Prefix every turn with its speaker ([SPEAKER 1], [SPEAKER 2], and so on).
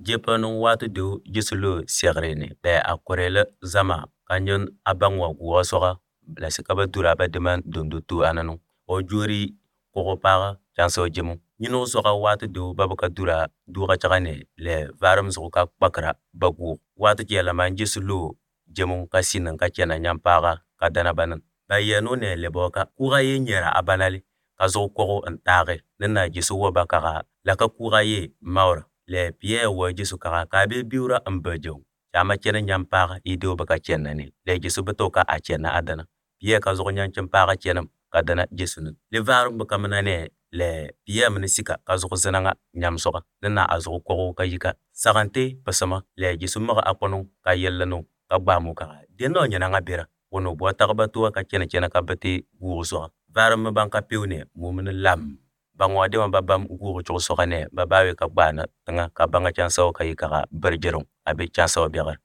[SPEAKER 1] Jepanung watu du jisulu siagrene da akorele zama kanyon abangwa guwasoga la sikaba dura ba deman dundutu ananu o juri kogopaga chanso jimu nyino soga watu du babaka dura duga chagane le varum zuka bakra bagu watu jela man jisulu jimu kasinin ka kena nyampaga kadana banan bayenu ne leboka kuga ye nyera abanali kazo kogo antare nina jisu wabaka la ka kuga ye maura le piye wa jisu ka be biura ambajo chama kena nyampaga ido baka kena ne le jisu betoka a kena adana piye ka zo nyan champaga kena kadana jisu le varum baka manane le piye mnisika ka zo zananga nyamsoga nina azo kogo ka yika sagante pasama le jisu maga akono ka yellano ka gbamu ka deno nyana ngabira wono bo tagbato ka kena ka bati guuso varum banka pewne mumun lam bangwa de ba bam guru cho sokane ba bawe ka bana tanga ka banga chanso ka yika berjerong abe chanso biagar